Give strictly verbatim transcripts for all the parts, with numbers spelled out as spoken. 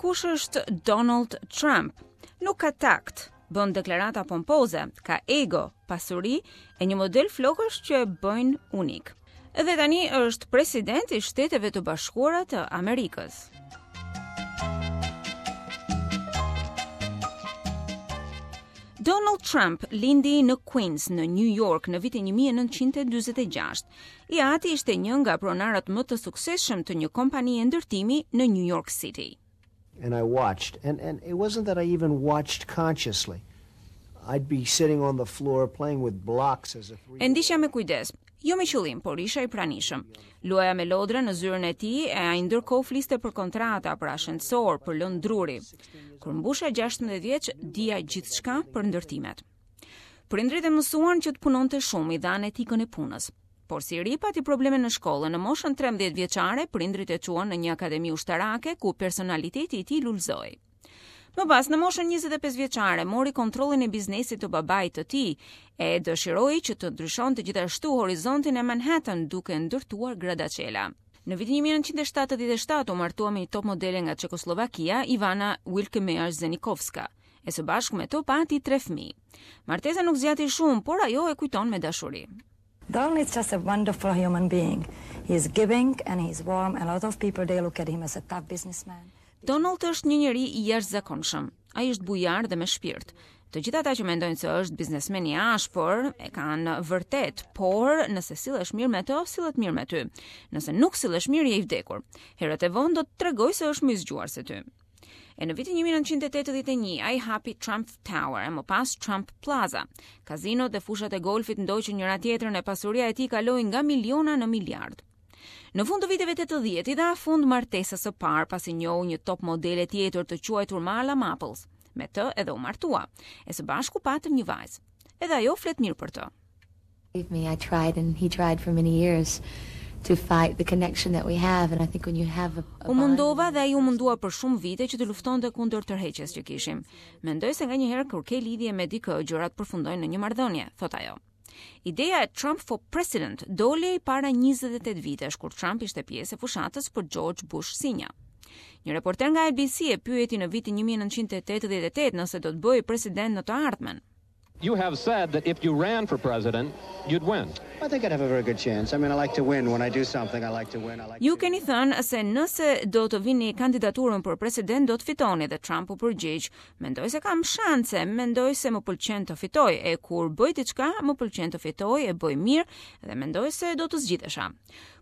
Kush është Donald Trump? Nuk ka takt, bën deklarata pompoze, ka ego, pasuri e një model flokësh që e bëjnë unik. Dhe tani është president i Shteteve të Bashkuara të Amerikës. Donald Trump lindi në Queens në New York në vitin një mijë e nëntëqind e dyzet e gjashtë. I ati ishte një nga pronarët më të suksesshëm të një kompanie ndërtimi në New York City. And I watched, and, and it wasn't that I even watched consciously. I'd be sitting on the floor playing with blocks as a three. E ndiqja me kujdes, jo me qëllim, por isha i pranishëm. Luaja me lodra në zyrën e tij e ai ndërkohë fliste për kontrata, për ashensor, për lëndë druri. Kur mbusha gjashtëmbëdhjetë vjeç, dija gjithçka për ndërtimet. Prindrit e mësuan që të punonte shumë, i dhanë etikën e punës. Por si ri pati probleme në shkollë, në moshën trembëdhjetë vjeçare, prindrit e çuan në një akademi ushtarake ku personaliteti i tij lulëzoi. Më pas, në moshën njëzet e pesë vjeçare, mori kontrollin e biznesit të babait të tij e dëshiroi që të ndryshonte gjithashtu horizontin e Manhattan duke ndërtuar gradaçela. Në vitin një mijë e nëntëqind e shtatëdhjetë e shtatë u martua me një top modele nga Çekoslovakia, Ivana Wilkemeyer Zenikovska, e së bashku me to pati tre fëmijë. Martesa nuk zgjati shumë, por ajo e kujton me dashuri. Donald is just a wonderful human being. He is giving and he is warm, and a lot of people, they look at him as a tough businessman. Donald është një njeri i jashtëzakonshëm. Ai është bujar dhe me shpirt. Të gjithë ata që mendojnë se është biznesmen i ashpër e kanë vërtet, por nëse sillesh mirë me të, sillet mirë me ty. Nëse nuk sillesh mirë, je i vdekur. Herët e vonë do të tregoj se është më i zgjuar se ty. E në vitin një mijë e nëntëqind e tetëdhjetë e një, ai hapi Trump Tower e më pas Trump Plaza. Kazinot dhe fushat e golfit ndoqën njëra tjetrën e pasuria e tij kaloi nga miliona në miliard. Në fund të viteve tetëdhjetë i dha fund martesës së parë pasi njohu një top modele tjetër të quajtur Marla Maples. Me të edhe u martua, e së bashku patën një vajzë. Edhe ajo flet mirë për të. Believe me, I tried and he tried for many years to fight the connection that we have, and I think when you have a, a U mundova bond dhe ai u mundua për shumë vite që të luftonte kundër tërheqjes që kishim. Mendoj se nganjëherë kur ke lidhje me dikë, gjërat përfundojnë në një marrëdhënie, thot ajo. Ideja e Trump for President doli para njëzet e tetë vitesh kur Trump ishte pjesë e fushatës për George Bush Senior. Një reporter nga N B C e pyeti në vitin një mijë e nëntëqind e tetëdhjetë e tetë nëse do të bëhej president në të ardhmen. You have said that if you ran for president, you'd win. I think I'd have a very good chance. I mean, I like to win. When I do something, I like to win. I like Ju to keni thënë se nëse do të vini kandidaturën për president, do të fitoni, dhe Trump u përgjigj, mendoj se kam shanse, mendoj se më pëlqen të fitoj, e kur bëj diçka, më pëlqen të fitoj, e bëj mirë dhe mendoj se do të zgjidhesha.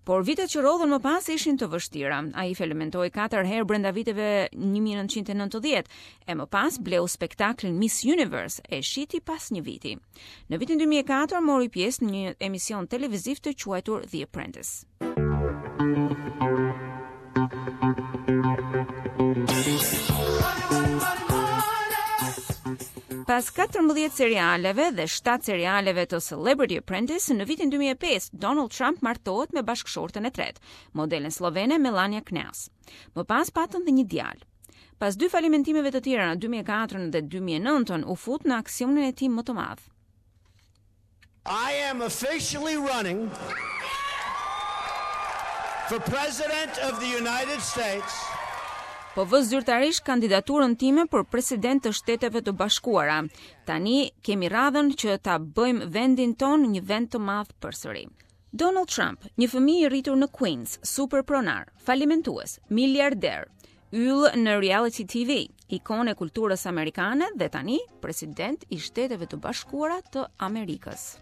Por vitet që rrodhën më pas ishin të vështira. Ai falimentoi katër herë brenda viteve një mijë e nëntëqind e nëntëdhjetë, e më pas bleu spektaklin Miss Universe e shiti pas një viti. Në vitin dy mijë e katër mori pjesë në një emision televiziv të quajtur The Apprentice. Pas katërmbëdhjetë serialeve dhe shtatë serialeve të Celebrity Apprentice, në vitin dy mijë e pesë, Donald Trump martohet me bashkëshorten e tretë, modelen slovene Melania Knauss. Më pas patën dhe një djalë. Pas dy falimentimeve të tjera në dy mijë e katër dhe dy mijë e nëntën, u fut në aksionin e tij më të madh. I am officially running for President of the United States. Po vë zyrtarisht kandidaturën time për president të Shteteve të Bashkuara. Tani kemi radhën që ta bëjmë vendin ton një vend të madh përsëri. Donald Trump, një fëmijë i rritur në Queens, super pronar, falimentues, miliarder, yll në reality T V, ikonë e kulturës amerikane dhe tani president i Shteteve të Bashkuara të Amerikës.